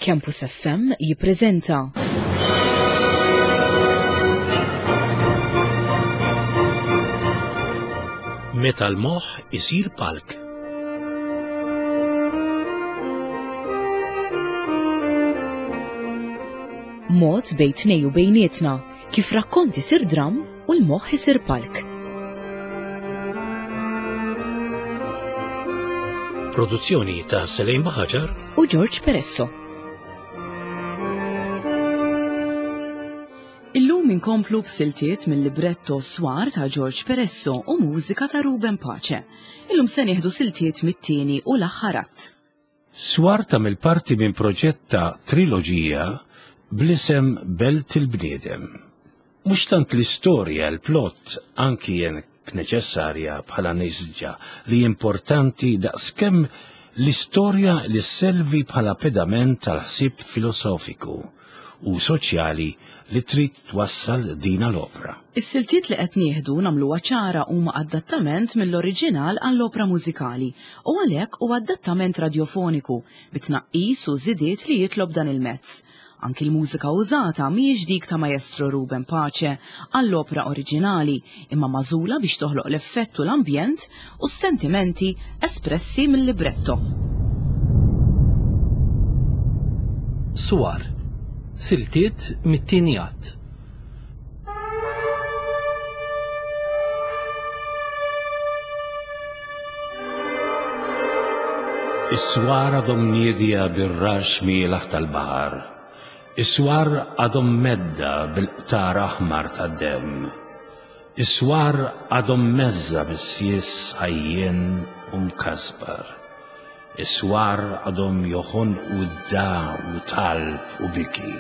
Campus FM jippreżenta. Meta l-moħħ isir palk. Mod bejn tnej u bejnietna kif rakkont isir dramm u l-moħħ isir palk. Produzzjoni ta' Selejn Baħaġar u George Peresso. Illum inkomplu b'siltiet mill-libretto Swar ta' George Peresso u mużika ta' Ruben Pace. Illum se nieħdu siltiet mit-tieni u l-aħħar att. Swar tagħmel parti minn proġett ta' triloġija bl-isem Belt il-Bniedem. Mhux tant l-istorja, l-plot, anki jekk neċessarja bħala nisġa li importanti daqskemm l-istorja li sservi bħala pedament tal-ħsieb filosofiku u soċjali li trid twassal dina l-opra. Is-siltiet li qed nieħdu nagħmluha ċara huma adattament mill-oriġinal għall-opra mużikali u għalhekk huwa adattament radjofoniku bi tnaqqis u żidiet li jitlob dan il-mezz. Anki l-mużika użata mhijiex dik ta' Maestro Ruben Pace għall-opra oriġinali imma magħżula biex toħloq l-effett u l-ambjent u s-sentimenti espressi mill-libretto. Swar, siltiet mit-tieni att. Is-swar għadhom niedja bir-rax mielaħ tal-baħar. Is-swar għadhom medda bil-qtar aħmar tad-demm. Is-swar għadhom mheżża bis-sies għajjien u mkasbar. Is-swar għadhom joħonqu dagħa u talb u biki.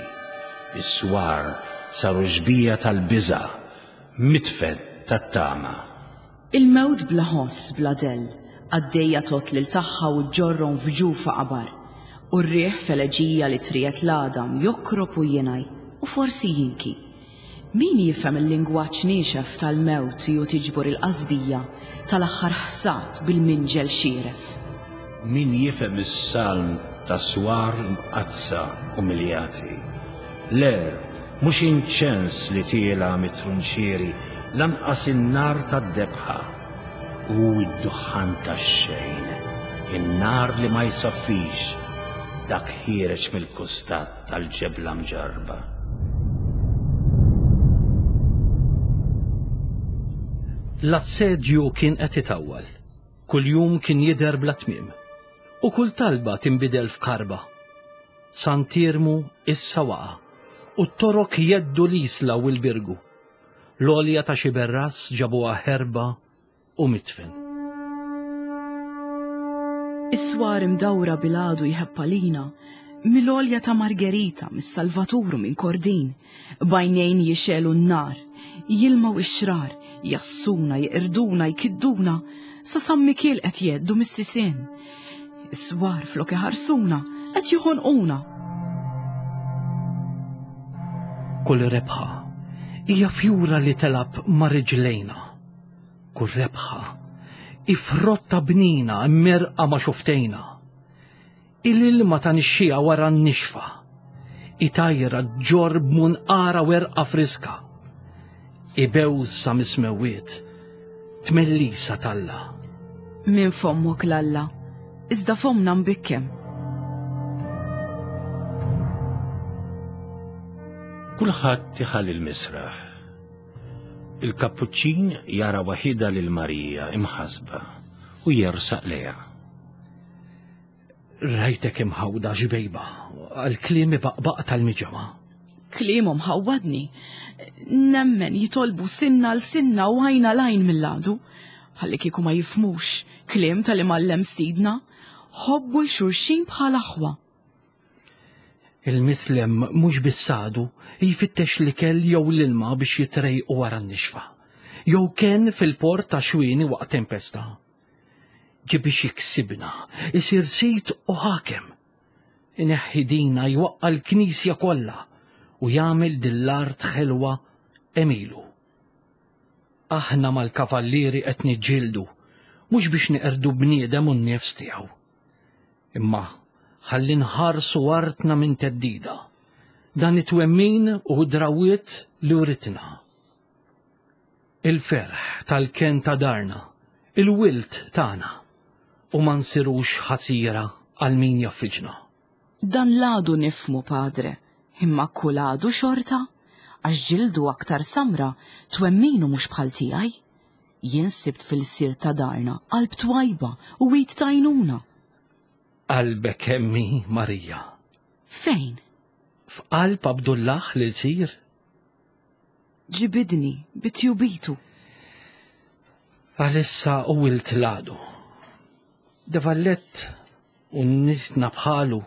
Is-swar saru xbieha tal-biża', midfen tat-tama. Il-mewt bla ħoss, bla dell, għaddejja tgħodd lil tagħha u ġġorrhom f'ġufha qabar. U r-riħ f'eleġija li triegħed l-għadam jokrob u jingħi u forsi jinki. Min jifhem il-lingwaġġ niexef tal-mewt ju tiġbor il-qasbija tal-aħħar ħsad bil-minġel xieref? Min jifhem is-salm ta' swar imqaddsa umiljati? L-għerq mhux inċens li tiela' mit-trunċieri lanqas in-nar tad-debħa. Hu d-duħħan tax-xejn, in-nar li ma jsaffix, dak ħiereġ mill-kustat. tal-ġebla mġarrba. L-assedju kien qed itawwal. Kuljum kien jidher bla tmiem. U kull talba tinbidel f'karba. Sant'Iermu issa waqa' u t-Torok jheddu l-Isla u l-Birgu. L-għolja ta' Xiberras ġabuha ħerba u midfen. Is-swar imdawra bil-għadu jħebb għalina, mill-għolja ta' Margherita, mis-Salvatur u minn Kordin, b'għajnejn jixegħlu n-nar, jilmaw ix-xrar, jassuna, jeqirduna, jkidduna, sa San Mikiel qed jgħeddu mis-sisien. Is-swar flok iħarsuna, qed joħonquna. Kull rebħa hija fjura li telab ma' riġlejna. Kull rebħa hi frotta bnina mmerqa ma' xuftejna. Hi l-ilma ta' nixxiegħa wara n-nixfa. Hi tajra ġġorr b'munqara werqa friska. Hi bewsa mis-smewwiet, tmellisa t'Alla. Minn fommok l-Alla, iżda fommna mbikkem. Kulħadd iħalli l-misraħ. Il-Kappuċċin jara waħidha lil Marija imħassba u jersaq lejha. Rajtek imħawda xbejba għal kliem ibaqbaq tal-miġemgħa. Kliemhom ħawwadni. Nemmen jitolbu sinna l sinna u għajna l-għajn mill-għadu. Ħalli kieku ma jifhmux kliem tal-imgħallem sidna. Ħobbu l-xulxin bħal aħwa. Il-mislem mhux biss għadu jfittex l-ikel jew l-ilma biex jitrejqu wara n-nixfa, jew kenn fil-port ta' xwieni waqt tempesta. Ġie biex jiksibna, isir sid u ħakem. Ineħħi dina jwaqqa' l-knisja kollha u jagħmel din l-art ħelwa għemilu. Aħna mal-kavallieri qed niġġieldu, mhux biex neqerdu bniedem u n-nifs tiegħu. Imma. ħalli nħarsu artna minn theddida. Dan it-twemmin u d-drawwiet li writna. Il-ferħ tal-kenn ta' darna, il-wilt tagħna, u ma nsirux ħasira għal min jaffiġna. Dan l-għadu nifhmu, Padre, imma kull għadu xorta, għax ġildu aktar samra, twemminu mhux bħal tiegħi. Jien sibt fil-lsir ta' darna qalb twajba u id t'għajnuna. Qalbek hemm hi, Marija. Fejn? F'qalb Abdullah l-ilsir. Ġibidni bi tjubitu. Għalissa u wilt l-għadu. De Vallett u nisna bħalu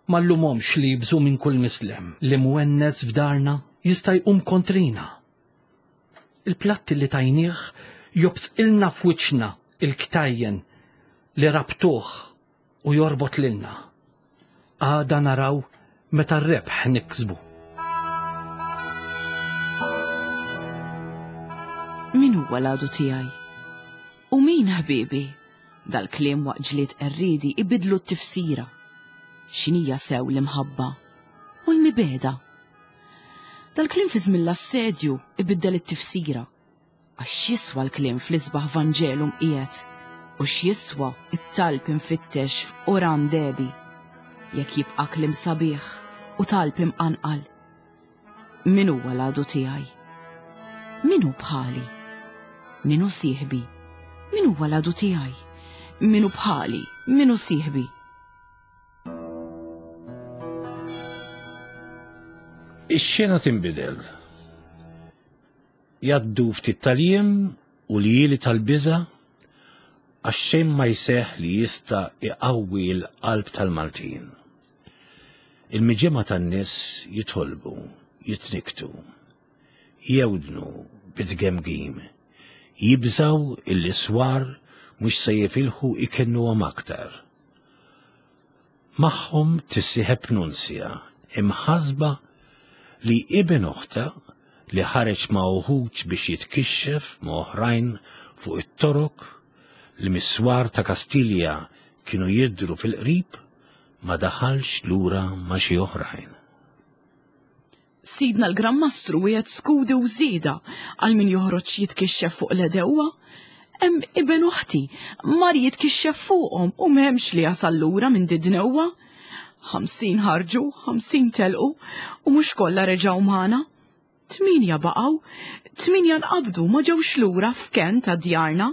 ma llumhomx li jibżu minn kull mislem li mwennes f'darna jista' jqum kontrina. Il-platti li tajnieh jobsqilna f'wiċċna il-ktajjen li rabtuh u jorbot lilna. Għada naraw meta r-rebħ niksbu. Min huwa l-għadu tiegħi? U min ħbiebi? Dal-kliem waqt ġlied qerriedi ibidlu t-tifsira. X'inhija sew l-imħabba u l-mibegħda? Dal-kliem fi żmien l-assedju ibiddel it-tifsira. Għax x'jiswa l-kliem fl-isbaħ Vanġelu mqiegħed u x'jiswa t-talb imfittex f'Quran dehbi jekk jibqa' kliem sabiħ u talb imqanqal? Min huwa l-għadu tiegħi? Min hu bħali? Min hu sieħbi? Min huwa l-għadu tiegħi? Min hu bħali? Min hu sieħbi? Ix-xena tinbidel. Jgħaddu ftit tal-jiem u ljieli tal-biża' għax xejn ma jseħħ li jista' jqawwi l-qalb tal-Maltin. Il-miġemgħa tan-nies jitolbu, jitnikktu, jewdnu bit-tgemgim, jibżgħu illi s-swar mhux se jifilħu jkennuhom aktar. Magħhom tissieħeb Nunzja, imħassba li iben oħtha li ħareġ ma' uħud biex jitkixxef ma' oħrajn fuq it-Torok li mis-swar ta' Kastilja kienu jidhru fil-qrib, ma daħalx lura ma' xi oħrajn. Sidna l-Gran Mastru wiegħed skudi u żieda għal min joħroġ jitkixxef fuq l-għedewwa. Hemm iben oħti mar jitkixxef fuqhom u m'hemmx li jasal lura minn did-dnewwa. 50 ħarġu, 50 telqu u mhux kollha reġgħu magħna. Tmienja baqgħu, tmienja nqabdu ma ġewx lura f'kenn ta' djarna.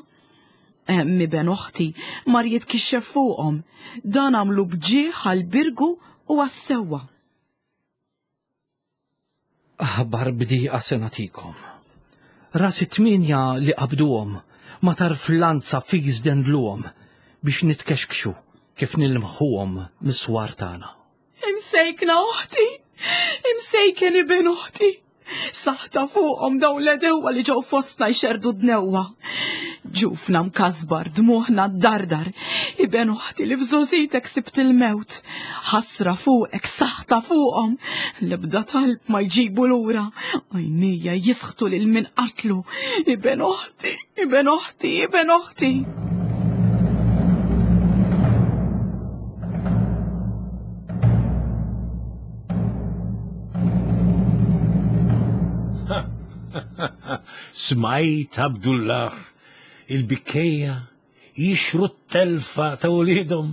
Hemm iben oħti mar jitkixxef fuqhom. Dan għamlu b'ġieħ għall-Birgu u għas-sewwa. Aħbar bdieqa se nagħtikom. Ras it-tmienja li qabduhom ma tarf lanza fis dendluhom biex nitkexkxu kif nilmħuhom mis-swar tagħna. Imsejkna oħti! Imsejken iben oħti! Saħta fuqhom dawn l-għedewwa li ġew fostna jxerrdu d-dnewwa. Ġufna mkasbar, dmuħna ddardar, iben oħti li f'żgħożitek sibt il-mewt. Ħasra fuqek, saħta fuqhom, l-ebda talb ma jġibu lura, għajnejja jisħtu lil min qatlu, iben oħti, iben oħti, iben oħti. Smajt Abdullah il-bikkejja jixru t-telfa ta' uliedhom.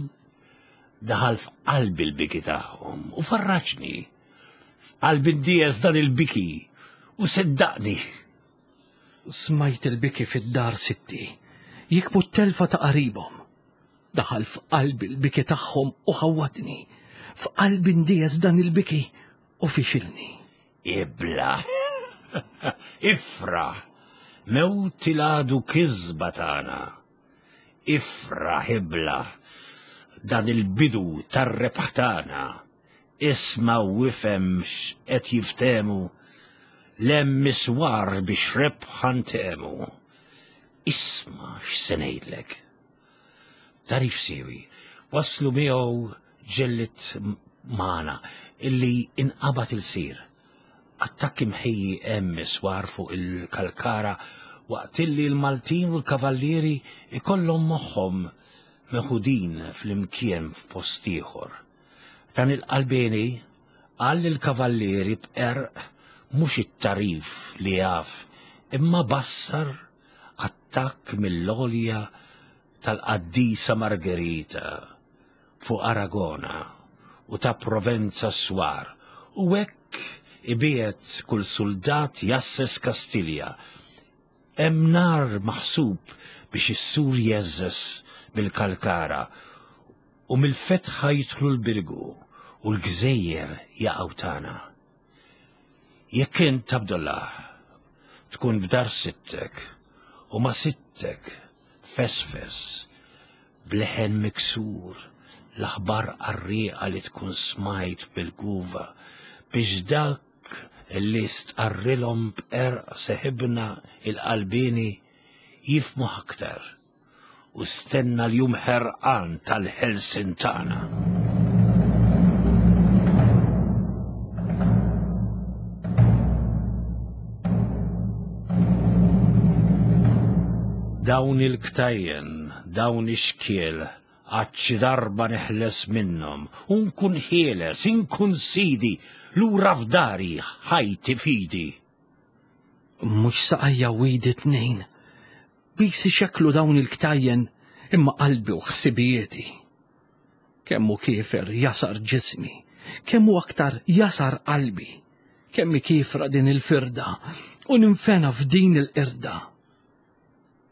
Daħal f'qalbi l-biki tagħhom u farraġni. F'qalbi ndies dan il-biki u seddaqni. Smajt il-biki fid-dar sitti, jikbu t-telfa ta' qaribhom. Daħal f'qalbi l-biki tagħhom u ħawwadni. F'qalbi ndies dan il-biki u fixilni. Ibla. Ifraħ. Mewt il-għadu kisba tagħna. Ifraħ ibla. Dan il-bidu tar-rebħ tagħna. Isma' u ifhem x'qed jiftehmu. L-hemm miswar biex rebħa ntehmu. Isma' x'se ngħidlek. Tagħrif siewi waslu miegħu ġellied magħna illi inqabad ilsir. Attakk imħejji hemm iswar fuq il-Kalkara waqt illi l-Maltin u l-Kavallieri ikollhom moħħhom meħudin flimkien f'post ieħor. Dan il-qalbieni qal lill-kavallieri b'qerq mhux it-tagħrif li jaf imma bassar attakk mill-għolja tal-qaddisa Margherita fuq Aragona u ta' Provenza s-swar u hekk ibiegħed kull suldat jgħasses Kastilja. Hemm nar maħsub biex is-sur jgħeżżeż mill-Kalkara u mill-fetħa jidħlu l-Birgu u l-gżejjer jaqgħu tagħna. Jekk int, Abdullah, tkun f'dar sittek u ma' sittek fesfes b'leħen miksur l-aħbar qarrieqa li tkun smajt bil-guva biex dak li stqarrilhom b'qerq seħibna il-qalbieni jifhmuh aktar u stenna l-jum ħerqan tal-ħelsien tagħna. Dawn il-ktajjen, dawn ix-xkiel, għad xi darba neħles minnhom u nkun ħieles, inkun sidi, lura f'dari, ħajti fidi. Mhux saqajja u idi tnejn, Biss ixekklu dawn il-ktajjen imma qalbi u ħsibijieti. Kemm hu kiefer jasar ġismi, kemm hu aktar jasar qalbi, kemm hi kiefra din il-firda u ninfena f'din il-qirda.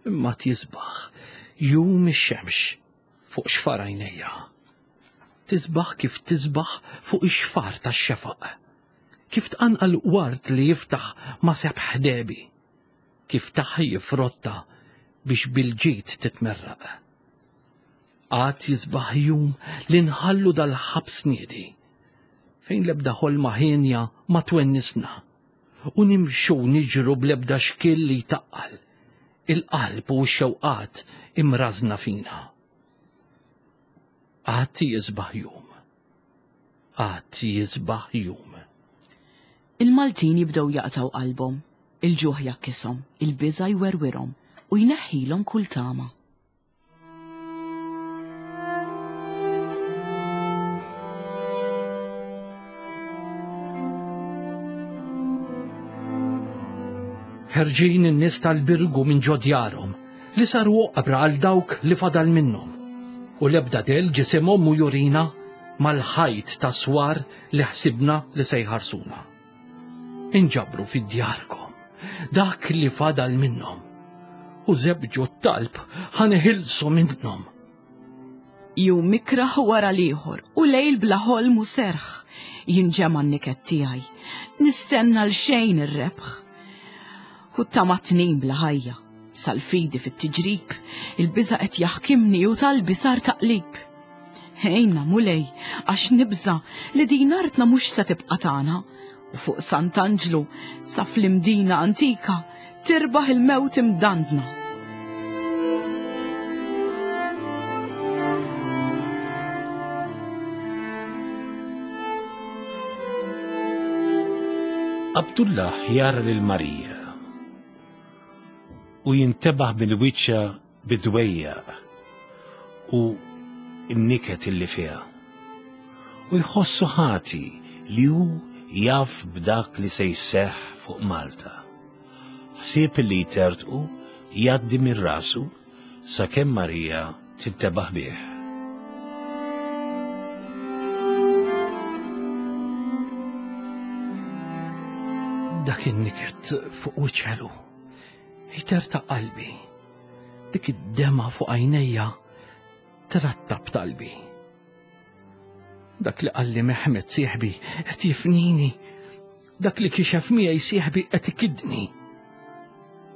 Imma tisbaħ jum ix-xemx fuq xfar għajnejja. Tisbaħ kif tisbaħ fuq ix-xfar tax-xefaq. Kif tqanqal ward li jiftaħ ma' sebħ ħdebi. Kif taħji frotta biex bil-ġid titmerraq. Għad jisbaħ jum li nħallu dal-ħabs niedi, fejn l-ebda ħolma hienja ma twennisna, u nimxu niġru bl-ebda xkiel li jtaqqal il-qalb u x-xewqat imrażna fina. Għad jisbaħ jum. Għad jisbaħ jum. Il-Maltin jibdew jaqtgħu qalbhom, il-ġuħ jgħakkishom, il-biża' jwerwirhom u jneħħilhom kull tama. Ħerġin in-nies tal-Birgu minn ġo djarhom, li saru oqbra għal dawk li fadal minnhom, u l-ebda dell ġisimhom mhu jurina mal-ħajt ta' swar li ħsibna li se jħarsuna. Inġabru fi djarkom dak li fadal minnhom u żebġu t-talb ħa neħilsu minnhom. Jum mikraħ wara l-ieħor u lejl bla ħolm u serħ jinġema' n-niket tiegħi. Nistenna l xejn ir-rebħ. U tama tnin bla ħajja, sal-fidi fit-tiġrib, il-biża' qed jaħkimni u talbi sar taqlib. Ejna, Mulej, għax nibża' li din artna mhux se tibqa' tagħna u fuq Sant'Anġlu sa fl-Imdina antika tirbaħ il-mewt imdandna. Abdullah jara lil Marija u jintebaħ minn wiċċha bid-dwejjaq u n-niket illi fiha. U jħossu ħati li hu jaf b'dak li se jseħħ fuq Malta. Ħsieb li jtertqu jgħaddi minn rasu sakemm Marija tintebaħ bih. Dak in-niket fuq wiċċ Jtertaq qalbi. Dik id-dema fuq għajnejja trattab talbi. Dak li qalli Mehmet sieħbi qed jifnini. Dak li kixef miegħi sieħbi qed ikidni.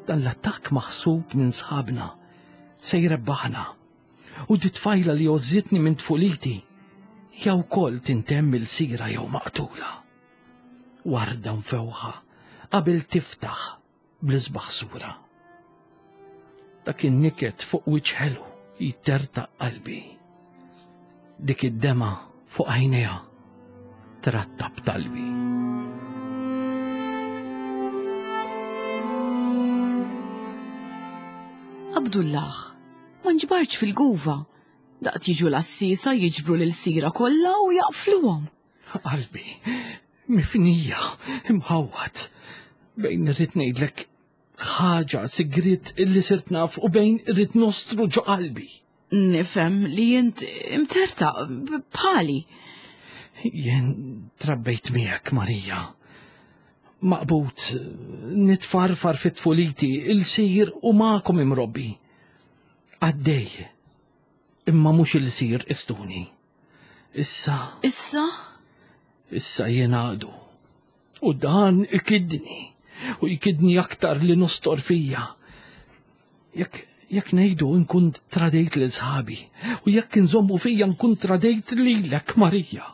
Dan l-attakk maħsub minn sħabna se jrebbaħna. U di tfajla li għożżitni minn tfuliti jew wkoll tintemm il-sira jew maqtula. Warda mfewħa qabel tiftaħ bl-isbaħ sura. Dak in-niket fuq wiċċ ħelu jtertaq qalbi. Dik id-dema fuq għajnejha trattab talbi. Abdullah, ma nġbartx fil-guva. Daqt jiġu l-għassiesa jiġbru l-ilsira kollha u jaqfluhom. Qalbi, mifnija, imħawwad. Bejn irrid ngħidlek ħaġa sigriet illi sirt naf u bejn irrid nostru ġo qalbi. Nifhem li int imterta bħali. Jien trabbejt miegħek, Marija. Maqbut, nitfarfar fit-tfuliti, il-sir u magħkom imrobbi. Għaddej, imma mhux il-sir istuni. Issa. Issa? Issa jien għadu. U dan ikidni, u jkidni aktar li nostor fija. Jekk jekk ngħidu nkun tradejt lil sħabi, u jekk inżommu fija nkun tradejt lilek Marija.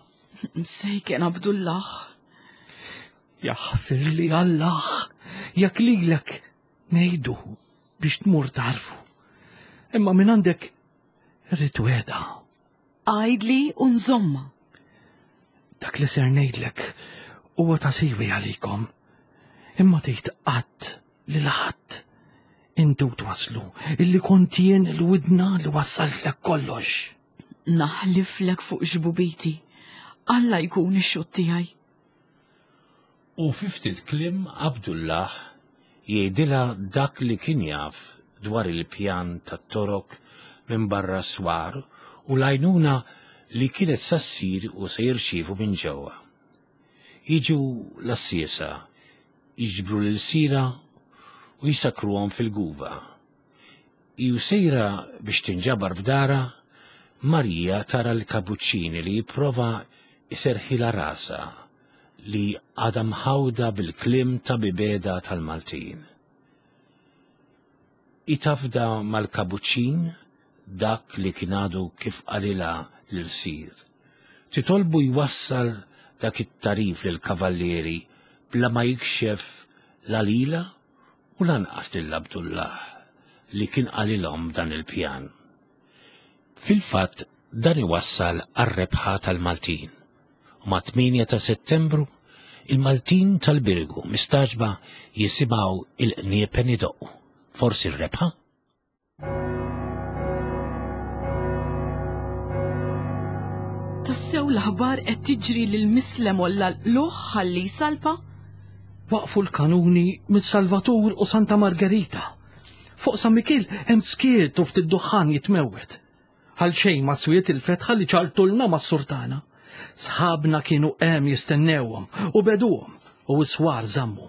Msejken Abdullah. Jaħfir li Allah, jekk lilek ngħidu biex tmur tarfu. Imma minn għandek rrid weda. Għidli u nżommha. Dak li ser ngħidlek huwa ta' siwi għalikom. Imma tgħid qatt lil ħadd intu twaslu illi kont jien il-widna li wassaltlek kollox. Naħliflek fuq xbubiti. Alla jkun ix-xhud tiegħi. U fi ftit kliem Abdullah jgħidilha dak li kien jaf dwar il-pjan tat-Torok minn barra s-swar u l-għajnuna li kienet sa ssir u se jirċievu minn ġewwa. Jiġu l-għassiesa, jiġbru l-ilsira u jsakkruhom fil-guva. Hi u sejra biex tinġabar f'darha, Marija tara l-kabuċċini li jipprova jserrħilha rasha li għadha mħawda bil-kliem ta' mibegħda tal-Maltin. Hi tafda mal-kabuċċin dak li kien għadu kif qalilha l-ilsir. Titolbu jwassal dak it-tagħrif lill-kavallieri bla ma jikxef la lilha u lanqas lil Abdullah li kien qalilhom dan il-pjan. Fil-fatt dan iwassal għar-rebħa tal-Maltin u mat-8 ta' Settembru il-Maltin tal-Birgu mistagħġba jisimgħu il-qniepen idoqqu. Forsi r-rebħa? Tassew l-aħbar qed tiġri lil Mislem olla l-qlugħ ħalli jsalpa? Waqfu l-kanuni mis-Salvatur u Santa Margherita. Fuq San Mikiel hemm skiet u ftit duħħan jitmewwet. Għal xejn ma swiet il-fetħa li ċartulna mas-surtana. Sħabna kienu hemm jistennewhom u beduhom u s-swar żammu.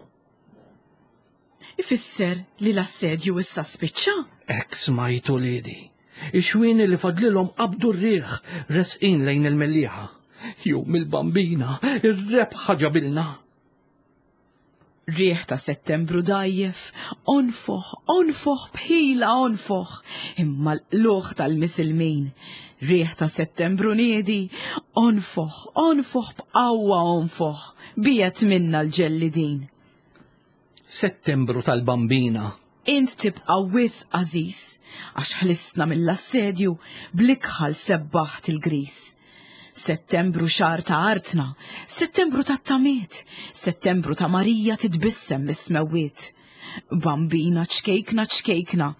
Ifisser li l-assedju issa spiċċa? Hekk smajt uliedi. Ix-xwieni li fadlilhom qabdu r-riħ resqin lejn il-Mellieħa. Jum il-Bambina, ir-rebħa ġabilna. Riħ ta' Settembru dgħajjef, onfoħ, onfoħ b'ħila onfoħ, imma l-qlugħ tal-misilmin. Riħ ta' Settembru niedi, onfoħ, onfoħ b'qawwa onfoħ, biegħed minna l-ġellidin. Settembru tal-Bambina. Int tibqa' wisq għażiż, għax ħlistna mill-assedju, bl-ikħal sebbaħt il-griż. Settembru xahar ta' artna, Settembru tat-tamiet, Settembru ta' Marija titbissem mis-smewwiet. Bambina ċkejkna ċkejkna,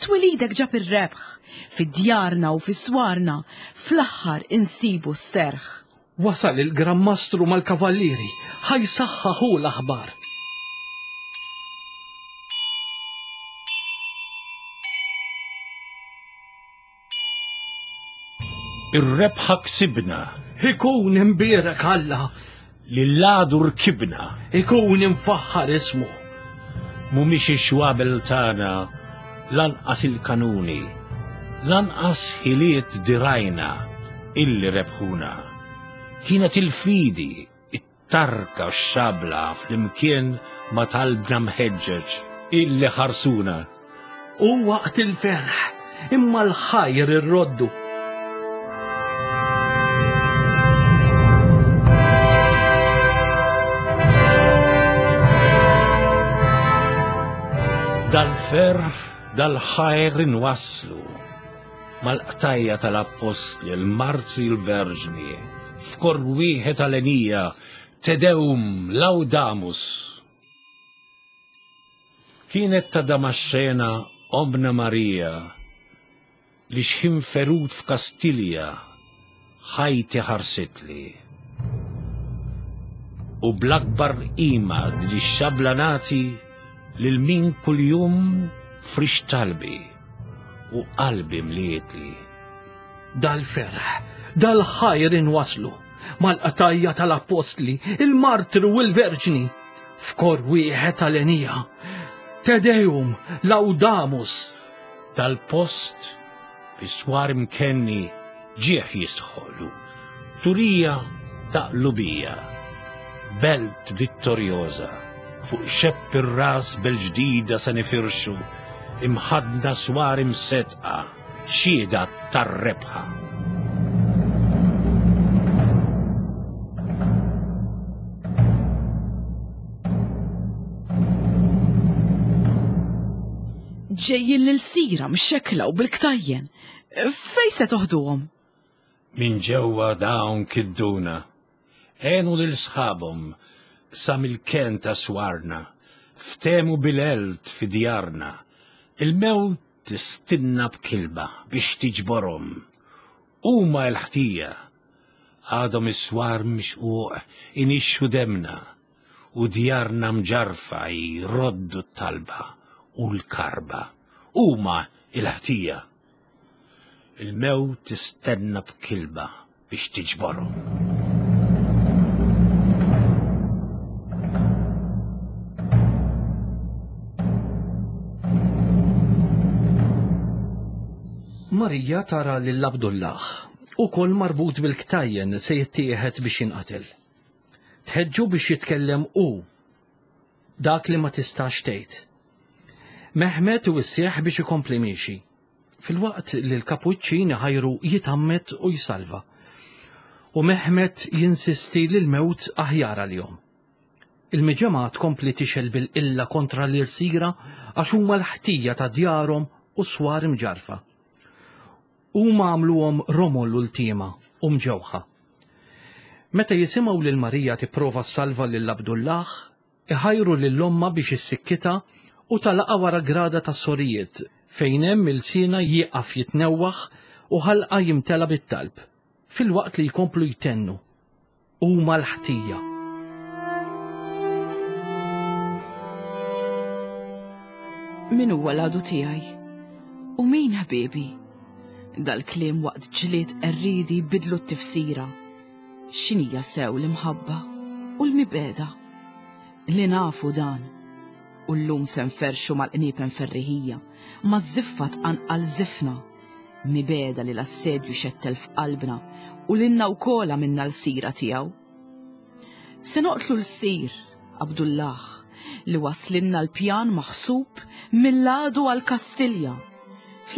twelidek ġab ir-rebħ, fi djarna u fi swarna, fl-aħħar insibu s-serħ. Wasal il-Gran Mastru mal-kavallieri, ħa jsaħħaħ hu l-aħbar. Ir-rebħa ksibna. Ikun imbierek Alla. Lil għadu rkibna. Ikun imfaħħar ismu. Mhumiex ix-xwabel tagħna lanqas il-kanuni, lanqas ħiliet dirajna illi rebħuna. Kienet il-fidi, it-tarka u x-xabla flimkien ma' talbna mħeġġeġ illi ħarsuna. Hu waqt il-ferħ, imma l-ħajr irroddu. Dal-ferħ, dal-ħajr inwasslu mal-qtajja tal-appostli, l-martri l-verġni, f'kor wieħed għalenija, Te Deum Laudamus. Kienet ta' Damaxxena ommna Marija. Li xħin ferut f'Kastilja ħajti ħarsitli. U bl-akbar qima din ix-xabla nagħti lil min kuljum frix talbi u qalbi mlietli. Dal-ferħ, dal-ħajr inwasslu mal-qtajja tal-appostli, il-martri u l-verġni, f'kor wieħed għalenija. Te Deum laudamus! Dal-post bi swar imkenni ġieħ jistħoqlu, turija ta' qlubija, belt vittorjoża, fuq xepp ir-ras bel-ġdida se nifirxu, imħaddna swar imseddqa, xhieda tar-rebħa. Ġejjin l-ilsira mxekkla u bil-ktajjen. Fejn se toħduhom? Minn ġewwa dawn kidduna. Għenu lil sħabhom sa mill-kenn ta' swarna. Ftehmu bil-għelt fi djarna. Il-mewt tistinna b'kilba biex tiġborhom. Huma l-ħtija. Għadhom is-swar mixquq inixxu demna u djarna mġarrfa jroddu t-talba u l-karba. Huma l-ħtija. Il-mewt tistenna b'kilba biex tiġborhom. Marija tara lil Abdullah, ukoll marbut bil-ktajjen se jittieħed biex jinqatel. Tħeġġu biex jitkellem hu dak li ma tistax tgħid. Mehmet iwissih biex ikompli miexi, filwaqt li l-kapuċċin iħajru jitgħammed u jsalva. U Mehmet jinsisti li l-mewt aħjar għalihom. Il-miġemgħa tkompli tixgħel bil-qilla kontra l-irsira għax huma l-ħtija ta' djarhom u swar imġarrfa. Huma għamluhom romol u ltiema u mġewħa. Meta jisimgħu lil Marija tipprova ssalva lil Abdullah, iħajru lil ommha biex issikkitha u tagħlaqha wara grada tas-sorijiet fejn hemm ilsienha jieqaf jitnewwaħ u ħalqha jimtela bit-talb, filwaqt li jkomplu jtennu, Huma l-ħtija. Min huwa l-għadu tiegħi? U min ħbiebi? Dal-kliem waqt ġlied qerriedi bidlu t-tifsira. X'inhija sew l-imħabba u l-mibegħda? Li nafu dan. U llum se nferrxu mal-qniepen ferriħija, maż-żiffa tqanqal żifna. Mibegħda li l-assedju xettel f'qalbna u lilna wkoll għamilna lsira tiegħu. Se noqtlu l-sir, Abdullah, li waslilna l-pjan maħsub mill-għadu għal Kastilja.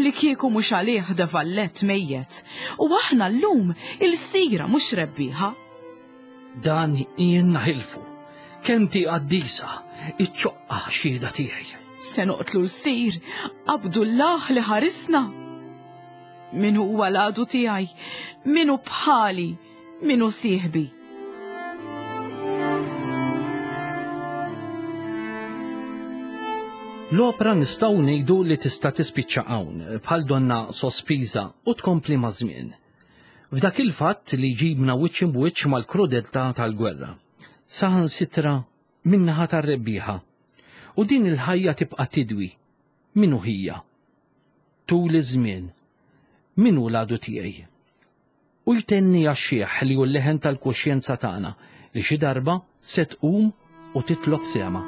Li kieku mhux għalih De Valette mejjet u aħna llum ilsira mhux rebbieħa. Dan jien naħilfu. Kemm ti qaddisa, iċ-ċoqqa xhieda tiegħi. Se noqtlu l-sir Abdullah li ħarisna. Min huwa l-għadu tiegħi? Min hu bħali? Min hu sieħbi? L-opra nistgħu ngħidu li tista' tispiċċa hawn, bħal donna sospiża u tkompli maż-żmien. F'dak il-fatt li jġibna wiċċ imb'wiċċ mal-krudeltà tal-gwerra, saħansitra min-naħa tar-rebbieħa. U din il-ħajja tibqa' tidwi. Min hu ħija? Tul iż-żmien, min hu l-għadu tiegħi? U jtenni għax-xiħ li hu l-leħen tal-kuxjenza tagħna li xi darba se tqum u titlob sehemha.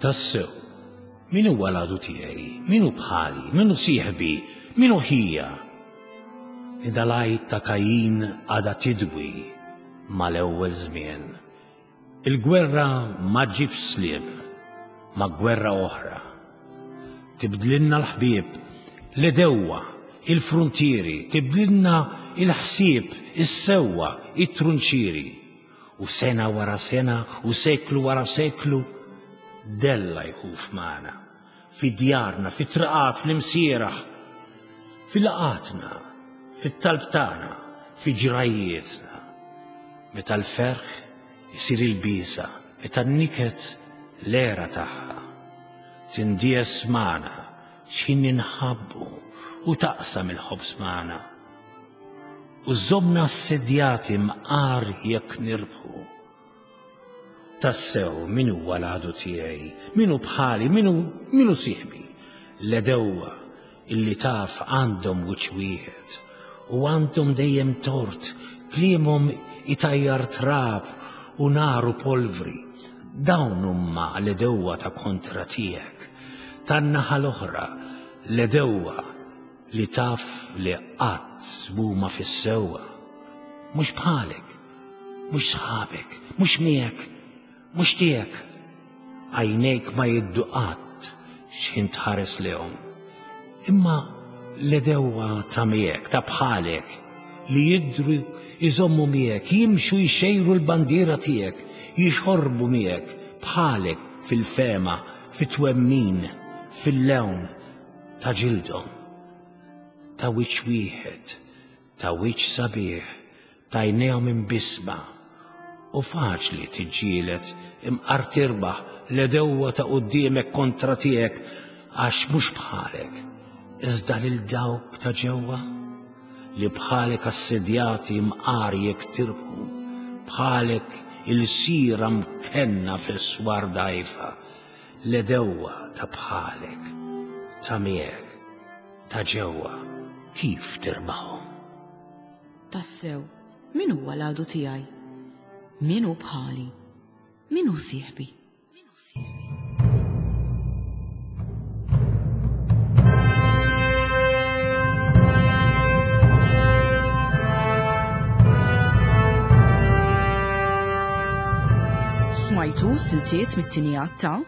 Tassew, min huwa l-għadu tiegħi? Min hu bħali? Min hu sieħbi? Min hu ħija? Din dal-għajt ta' Kajin għadha tidwi mal-ewwel żmien. Il-gwerra ma ġġibx sliem ma' gwerra oħra. Tibdlilna l-ħbieb, l-għedewwa, il-fruntieri, tibdlilna l-ħsieb, is-sewwa, it-trunċieri. U sena wara sena u seklu wara seklu della jħuf magħna, fi djarna, fit-triqat, fl-imsieraħ, fil-laqgħatna, fit-talb tagħna, fi ġrajjietna. Meta l-ferħ isir il-biża', Meta n-niket l-għera tagħha tindies magħna x'ħin ninħabbu u taqsam il-ħobż magħna. U żżommna assedjati mqar jekk nirbħu. Tassew min huwa l-għadu tiegħi, min hu bħali, min hu min hu sieħbi? L-għedewwa illi taf għandhom wiċċ wieħed u għandhom dejjem tort, kliemhom itajjar trab u nar u polvri. Dawn huma l-għedewwa ta' kontra tiegħek. Tan-naħa l-oħra, l-għedewwa li taf li qatt m'huma fis-sewwa. Mhux bħalek, mhux sħabek, mhux miegħek, mhux tiegħek. Għajnejk ma jiddu qatt x'ħin tħares lehom. Imma l-edewwa ta' miegħek, ta' bħalek, li jidru jżommu miegħek, jimxu jxejru l-bandiera tiegħek, jixorbu miegħek, bħalek fil-fema, fit-twemmin, fil-lewn ta' ġildhom, ta' wiċċ wieħed, ta' wiċċ sabiħ, t'għajnejhom imbissma, u faċli tiġġieled imqar tirbaħ l-għedewwa ta' quddiemek kontra tiegħek għax mhux bħalek, iżda lil dawk ta' ġewwa li bħalek assedjati mqar jekk tirbħu, bħalek ilsira mkenna fis-swar dgħajfa, l-għedewwa ta' bħalek, ta' miegħek, ta' ġewwa, kif tirbaħhom? Tassew, min huwa l-għadu tiegħi? Min hu bħali? Min hu sieħbi? Min hu sieħbi? Smajtu siltiet mit-tieni ta'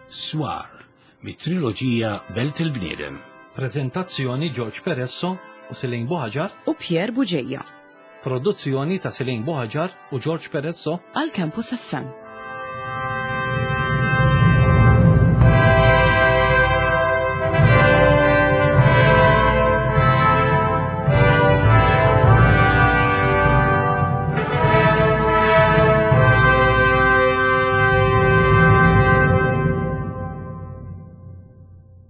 Swar mit-triloġija Belt il-Bniedem. Preżentazzjoni George Peresso u Celine Buhaġar. U Pierre Bugeja. Produzzjoni ta' Celine Buhaġar u George Peresso. Għal Campus FM.